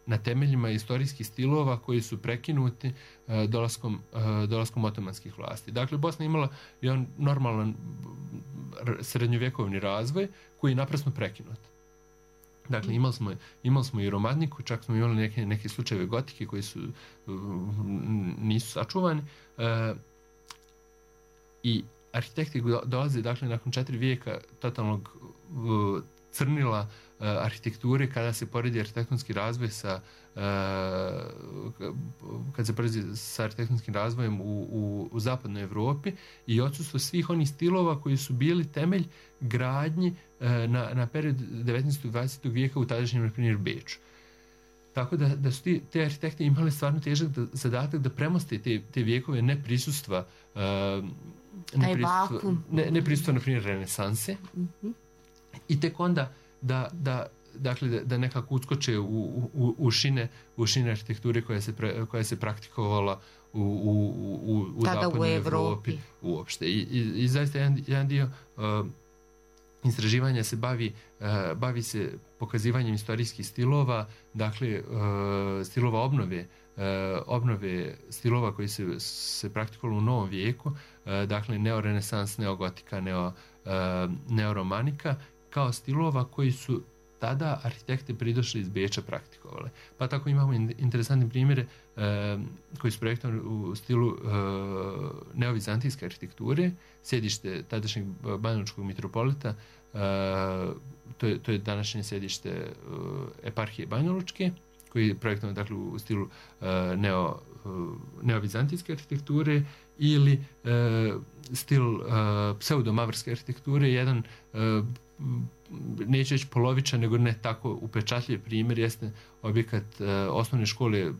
na temeljima istorijskih stilova koji su prekinuti e, dolaskom, e, dolaskom otomanskih vlasti. Dakle, Bosna je imala jedan normalan srednjovjekovni razvoj koji je naprasno prekinut. Dakle, imali smo, imali smo i romantiku, čak smo imali neke, neke slučajeve gotike koji su nisu sačuvani. E, I arhitekti dolaze, dakle, nakon četiri vijeka totalnog uh, crnila uh, arhitekture, kada se poredi arhitektonski razvoj sa uh, kad se poredi sa arhitektonskim razvojem u, u, u zapadnoj Evropi i odsustvo svih onih stilova koji su bili temelj gradnji uh, na, na period devetnaestog i dvadesetog vijeka u tadašnjem, na primjer, Beču. Tako da, da su ti, te arhitekte imali stvarno težak da, zadatak da premoste te, te vijekove neprisustva, uh, neprisustva, ne, neprisustva, na primjer, renesanse. Mm-hmm. I tek onda da, da, dakle, da, da nekako uskoče u, u, u, šine, u šine arhitekture koja se, pre, koja se praktikovala u, u, u, u zapadnoj Evropi uopšte. I, i, i zaista jedan, jedan dio uh, istraživanja se bavi, bavi se pokazivanjem istorijskih stilova, dakle stilova obnove, obnove stilova koji se, se praktikovali u novom vijeku, dakle neorenesans, neogotika, neo, neoromanika, kao stilova koji su tada arhitekte pridošli iz Beča praktikovali. Pa tako imamo interesantne primjere e, koji su projektovani u stilu e, neovizantijske arhitekture, sjedište tadašnjeg banjalučkog mitropolita, e, to, je, to je današnje sjedište e, eparhije Banjalučke, koji je projektovan dakle, u stilu e, neo, e, neovizantijske arhitekture, ili e, stil e, pseudomavrske arhitekture, jedan e, neću reći polovičan, nego ne tako upečatljiv primjer jeste objekat e, osnovne škole, e,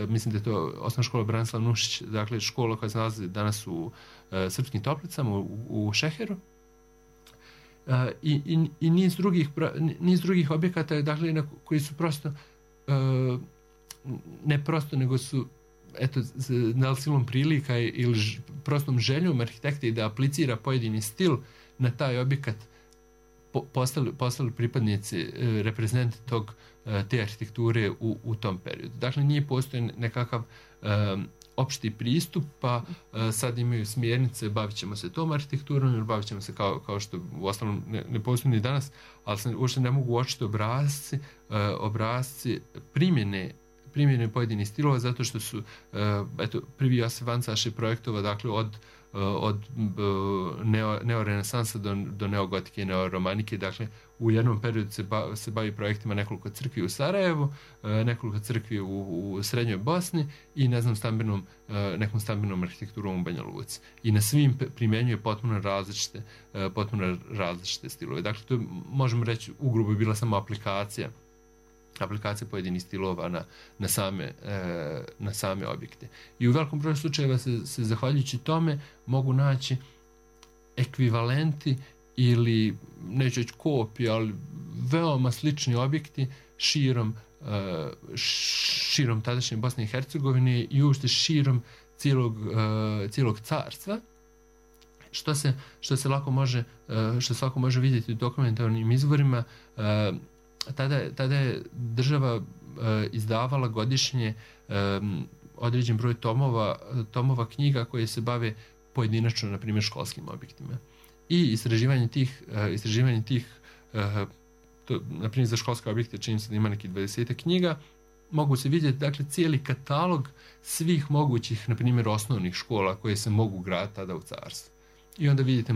mislim da je to osnovna škola Branislav Nušić, dakle škola koja se nalazi danas u e, Srpskim Toplicama, u, u Šeheru. E, i, i, i niz drugih, niz drugih objekata, dakle, na, koji su prosto, e, ne prosto, nego su eto, na silom prilika ili ž, prostom željom arhitekta da aplicira pojedini stil na taj objekat, postali, postali pripadnici, reprezentati tog, te arhitekture u, u tom periodu. Dakle, nije postoji nekakav um, opšti pristup, pa uh, sad imaju smjernice, bavit ćemo se tom arhitekturom ili bavit ćemo se kao, kao što u ostalom ne, ne postoji ni danas, ali se uopšte ne mogu uočiti obrazci, uh, obrazci primjene primjene pojedinih stilova, zato što su uh, eto, prvi Josip Vancaš je projektova, dakle, od od neo, neorenesansa do, do neogotike i neoromanike. Dakle, u jednom periodu se, ba, se bavi projektima nekoliko crkvi u Sarajevu, nekoliko crkvi u, u Srednjoj Bosni i ne znam, stambenom, nekom stambenom arhitekturom u Banja Luci. I na svim primjenjuje potpuno različite, potpuno različite stilove. Dakle, to možemo reći, ugrubo je bila samo aplikacija aplikacije pojedinih stilova na, na, same, e, na same objekte. I u velikom broju slučajeva se, se zahvaljujući tome mogu naći ekvivalenti ili, neću reći kopije, ali veoma slični objekti širom, e, širom tadašnje Bosne i Hercegovine i uopšte širom cijelog, e, cijelog carstva, što se, što se lako može, e, što se lako može vidjeti u dokumentarnim izvorima. e, Tada, tada je država e, izdavala godišnje e, određen broj tomova, tomova knjiga koje se bave pojedinačno, na primjer, školskim objektima. I istraživanje tih, e, istraživanje tih e, to, na primjer, za školske objekte čini se da ima neki dvadeset knjiga, mogu se vidjeti, dakle, cijeli katalog svih mogućih, na primjer, osnovnih škola koje se mogu graditi tada u carstvu. I onda vidite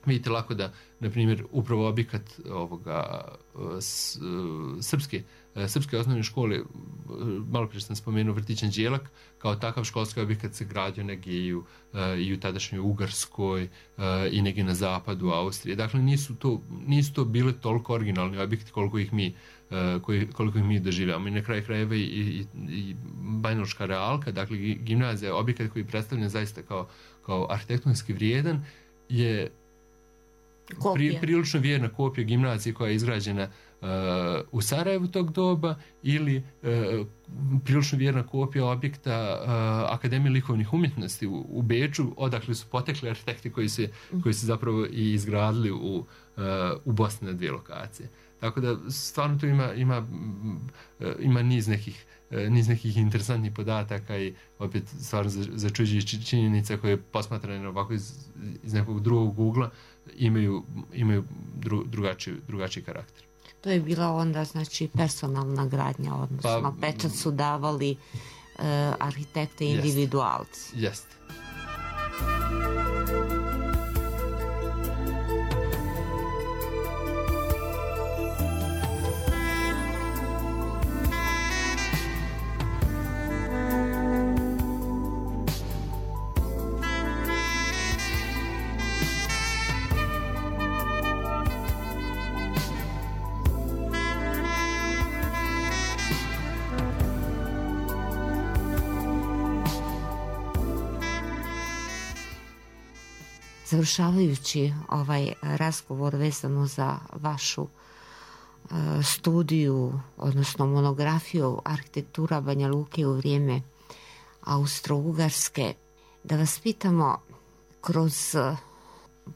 Vidite lako da, na primjer, upravo objekat ovoga s, srpske, srpske osnovne škole, malo prije sam spomenuo Vrtić Anđelak, kao takav školski objekat se gradio negdje i u, i u tadašnjoj Ugarskoj i negdje na zapadu Austrije. Dakle, nisu to, nisu to bile toliko originalni objekti koliko ih mi, koliko ih mi doživljamo. I na kraju krajeva i, i, i Banjalučka realka, dakle, gimnazija, objekat koji predstavlja zaista kao, kao arhitektonski vrijedan, je Pri, prilično vjerna kopija gimnazije koja je izgrađena uh, u Sarajevu tog doba, ili uh, prilično vjerna kopija objekta uh, Akademije likovnih umjetnosti u, u Beču, odakle su potekli arhitekti koji se, koji se zapravo i izgradili u, uh, u Bosni na dvije lokacije. Tako da stvarno tu ima, ima, ima niz nekih niz nekih interesantnih podataka i opet stvarno začuđujući činjenica koje posmatrane ovako iz, iz nekog drugog ugla imaju, imaju dru, drugačiji, drugačiji karakter. To je bila onda, znači, personalna gradnja, odnosno pa, pečat su davali uh, arhitekte individualci. Jeste. Završavajući ovaj razgovor vezano za vašu uh, studiju, odnosno monografiju arhitektura Banja Luke u vrijeme Austro-Ugarske, da vas pitamo kroz uh,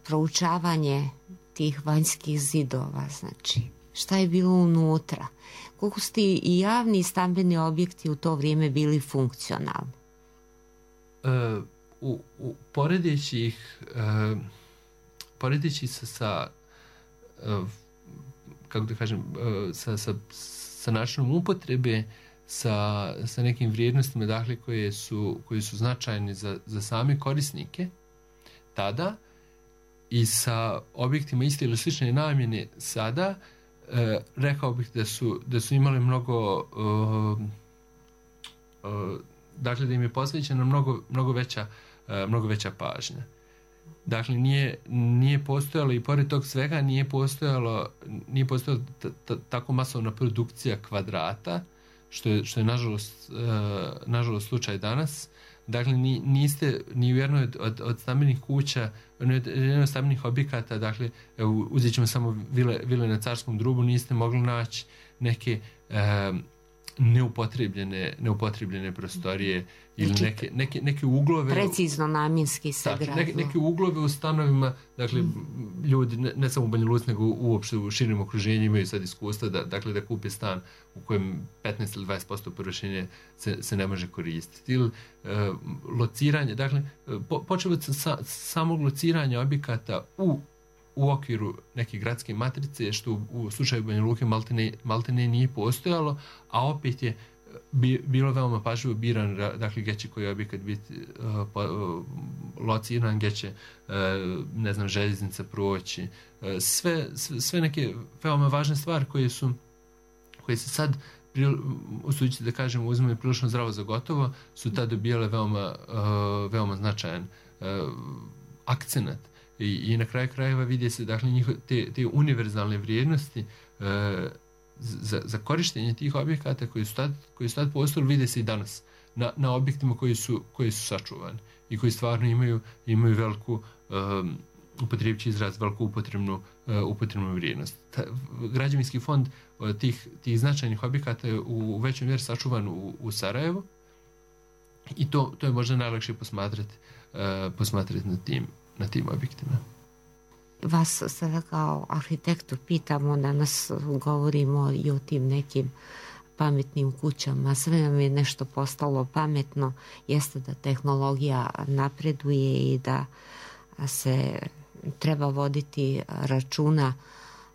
proučavanje tih vanjskih zidova, znači šta je bilo unutra, koliko su ti i javni i stambeni objekti u to vrijeme bili funkcionalni? Uh, u, u, poredeći ih uh, poredeći se sa uh, kako da kažem uh, sa, sa, sa načinom upotrebe, sa, sa nekim vrijednostima, dakle, koje su, koje su značajne za, za same korisnike tada, i sa objektima iste ili slične namjene sada, e, rekao bih da su, da su imali mnogo, uh, uh, dakle, da im je posvećena mnogo, mnogo, veća, uh, mnogo veća pažnja. Dakle, nije, nije postojalo, i pored tog svega, nije postojalo, nije postojalo t- t- tako masovna produkcija kvadrata, što je, što je nažalost, uh, nažalost slučaj danas. Dakle, ni, niste ni u jednoj od, od, od stambenih kuća, jednoj od, jednoj od stambenih objekata, dakle, uzet ćemo samo vile, vile na Carskom drubu, niste mogli naći neke um, neupotrebljene, neupotrebljene prostorije ili znači, neke, neke, neke uglove. Precizno namjenski se dakle, gradilo. Neke, neke uglove u stanovima, dakle, mm. ljudi, ne, ne samo u Banja Luci, nego uopšte u širim okruženju imaju sad iskustva da, dakle, da kupe stan u kojem petnaest ili dvadeset posto površine se, se ne može koristiti. Ili e, lociranje, dakle, po, počeo od sa, samog lociranja objekata u u okviru neke gradske matrice, što u, u slučaju Banja Luke maltene, maltene nije postojalo, a opet je bi, bilo veoma pažljivo biran, dakle, gdje će koji objekat biti uh, pa, uh, lociran, gdje će, uh, ne znam, željeznica proći. Uh, sve, sve, sve neke veoma važne stvari koje su, koje se sad, usuđujući da kažem, uzmemo prilično zdravo za gotovo, su tada dobijale veoma, uh, veoma značajan uh, akcenat. I, i na kraju krajeva vidi se, dakle, njiho, te, te univerzalne vrijednosti e, za, za korištenje tih objekata koji su tad, koji su tad postojali, vide se i danas na, na objektima koji su, koji su sačuvani i koji stvarno imaju, imaju veliku, um, upotrijebći izraz, veliku upotrebnu, uh, upotrebnu vrijednost. Ta, građevinski fond uh, tih, tih značajnih objekata je u, u većoj mjeri sačuvan u, u Sarajevu, i to, to je možda najlakše posmatrati, uh, posmatrati na tim na tim objektima. Vas sada kao arhitektu pitamo, danas govorimo i o tim nekim pametnim kućama, sve nam je nešto postalo pametno, jeste da tehnologija napreduje i da se treba voditi računa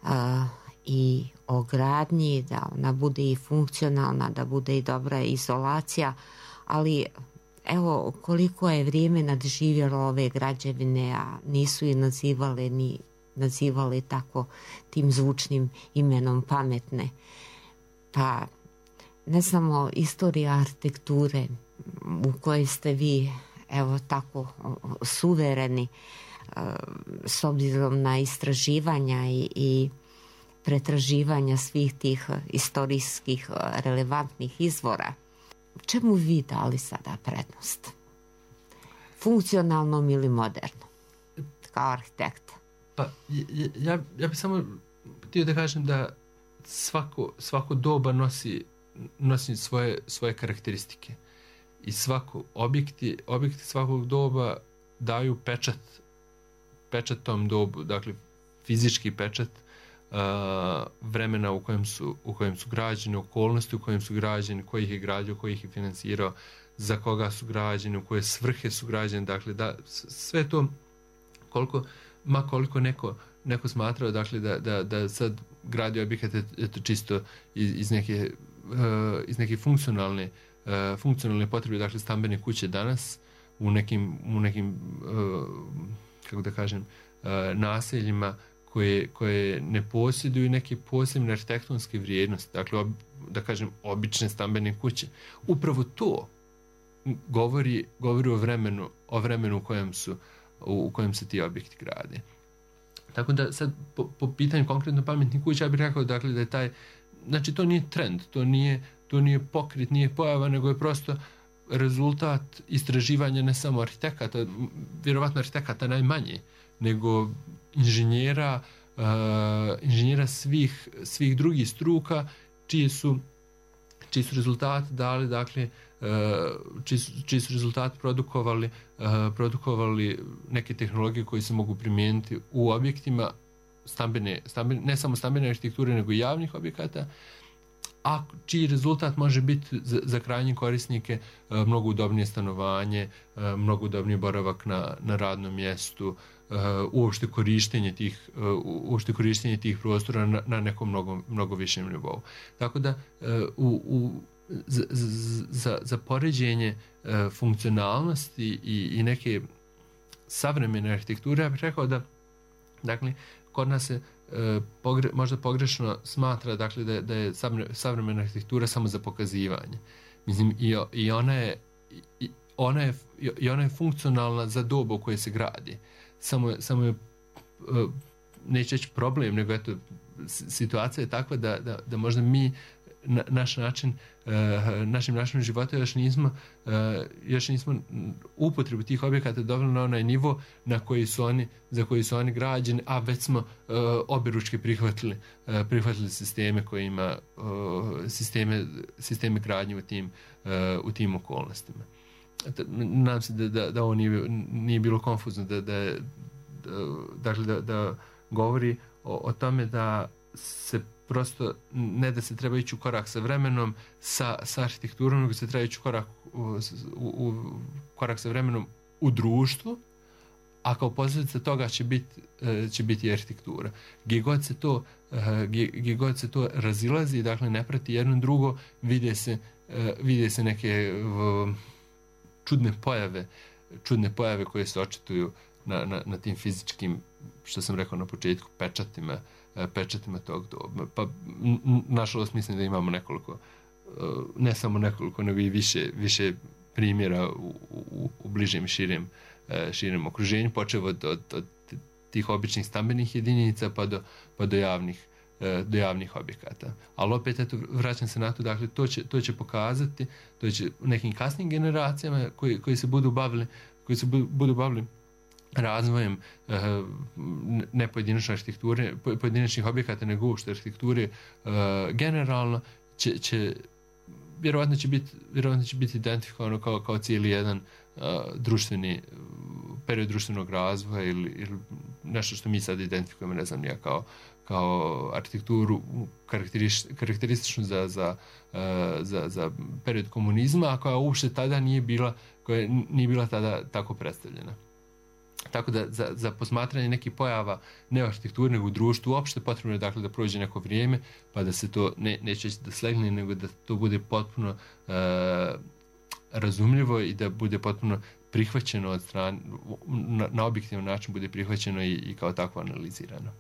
a, i o gradnji, da ona bude i funkcionalna, da bude i dobra izolacija, ali evo koliko je vrijeme nadživjelo ove građevine, a nisu je nazivale ni nazivali tako tim zvučnim imenom pametne. Pa ne samo istorija arhitekture u kojoj ste vi evo tako suvereni s obzirom na istraživanja i, i pretraživanja svih tih istorijskih relevantnih izvora. Čemu vi dali sada prednost? Funkcionalnom ili modernom? Kao arhitekta. Pa ja, ja, ja bih samo htio da kažem da svako, svako doba nosi, nosi svoje, svoje karakteristike. I svako objekti, objekti svakog doba daju pečat, pečat tom dobu, dakle fizički pečat uh, vremena u kojem su, u kojem su građeni, okolnosti u kojem su građeni, ko ih je gradio, ko ih je financirao, za koga su građeni, u koje svrhe su građeni, dakle da sve to koliko, ma koliko neko, neko smatrao, dakle da, da, da sad gradi objekat eto čisto iz, iz neke, uh, iz neke funkcionalne uh, funkcionalne potrebe, dakle stambene kuće danas u nekim, u nekim uh, kako da kažem, uh, naseljima koje, koje ne posjeduju neke posebne arhitektonske vrijednosti, dakle ob, da kažem obične stambene kuće. Upravo to govori, govori o vremenu, o vremenu u kojem su u kojem se ti objekti grade. Tako da sad po, po pitanju konkretno pametnih kuća ja bih rekao, dakle, da je taj, znači to nije trend, to nije, to nije pokret, nije pojava, nego je prosto rezultat istraživanja ne samo arhitekata, vjerovatno arhitekata najmanje, nego inženjera, uh, inženjera svih, svih drugih struka, čije su, čiji su rezultati dali, dakle, uh, čiji su, čiji su rezultati produkovali, uh, produkovali neke tehnologije koje se mogu primijeniti u objektima stambene, stambene, ne samo stambene arhitekture, nego i javnih objekata, a čiji rezultat može biti za, za krajnje korisnike mnogo udobnije stanovanje, mnogo udobniji boravak na, na radnom mjestu, uopšte korištenje tih, uopšte korištenje tih prostora na, na nekom mnogo, mnogo višem nivou. Tako da u, u, za, za, za poređenje funkcionalnosti i, i neke savremene arhitekture, ja bih rekao da dakle, kod nas se Pogre, možda pogrešno smatra dakle, da, da je savremena arhitektura samo za pokazivanje. Mislim, i, i, ona je, i, ona je, i ona je funkcionalna za dobu u kojoj se gradi. Samo, samo je, neće reći problem, nego eto, situacija je takva da, da, da možda mi na, naš način, uh, našim načinom života još nismo, uh, još nismo upotrebu tih objekata doveli na onaj nivo na koji su oni, za koji su oni građeni, a već smo uh, objeručke prihvatili, uh, prihvatili sisteme koji ima uh, sisteme, sisteme gradnje u tim, uh, u tim okolnostima. Nadam se da, da, da ovo nije, nije bilo konfuzno, da, da, da, dakle, da, da govori o, o tome da se prosto ne da se treba ići u korak sa vremenom, sa, sa arhitekturom, nego se treba ići u korak, u, u, u korak sa vremenom u društvu, a kao posljedica toga će biti, će biti arhitektura. Gdje god se to, gdje god se to razilazi, dakle ne prati jedno drugo, vide se, vide se neke čudne pojave, čudne pojave koje se očituju na, na, na tim fizičkim, što sam rekao na početku, pečatima, pečatima tog doba. Pa nažalost mislim da imamo nekoliko, ne samo nekoliko, nego i više, više primjera u, u, u bližem i širem, širem okruženju, počev od, od, od tih običnih stambenih jedinica pa do, pa do javnih, do javnih objekata. Ali opet, eto, vraćam se na to, dakle, to će, to će pokazati, to će nekim kasnim generacijama koji, koji se budu bavili, koji se budu, budu bavili razvojem uh, ne pojedinačne arhitekture, pojedinačnih objekata, nego uopšte arhitekture uh, generalno, će, će, vjerovatno će biti, vjerovatno će biti identifikovano kao, kao cijeli jedan uh, društveni, period društvenog razvoja ili, ili nešto što mi sad identifikujemo, ne znam, ja kao, kao arhitekturu karakterističnu za, za, uh, za, za period komunizma, a koja uopšte tada nije bila, koja nije bila tada tako predstavljena. Tako da za, za posmatranje nekih pojava ne arhitekture nego u društvu uopšte potrebno je, dakle, da prođe neko vrijeme pa da se to ne, neće da slegne, nego da to bude potpuno uh, razumljivo i da bude potpuno prihvaćeno od strane, na, na objektivan način bude prihvaćeno i, i kao takvo analizirano.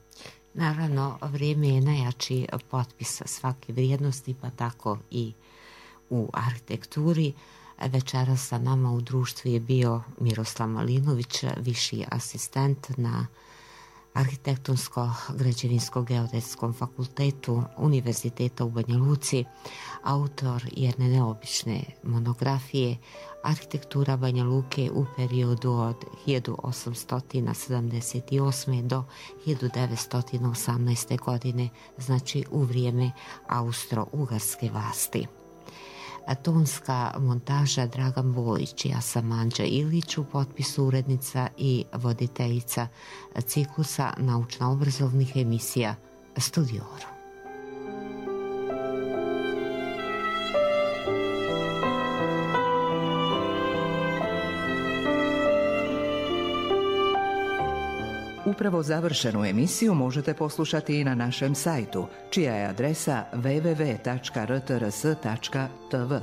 Naravno, vrijeme je najjači potpis svake vrijednosti, pa tako i u arhitekturi. Večeras sa nama u društvu je bio Miroslav Malinović, viši asistent na Arhitektonsko-građevinsko-geodetskom fakultetu Univerziteta u Banja Luci, autor jedne neobične monografije Arhitektura Banja Luke u periodu od hiljadu osamsto sedamdeset osme do hiljadu devetsto osamnaeste. godine, znači u vrijeme Austro-Ugarske vlasti. Tonska montaža Dragan Bojić, ja sam Anđa Ilić, u potpisu urednica i voditeljica ciklusa naučno-obrazovnih emisija Studioru. Upravo završenu emisiju možete poslušati i na našem sajtu, čija je adresa w w w tačka r t r s tačka t v.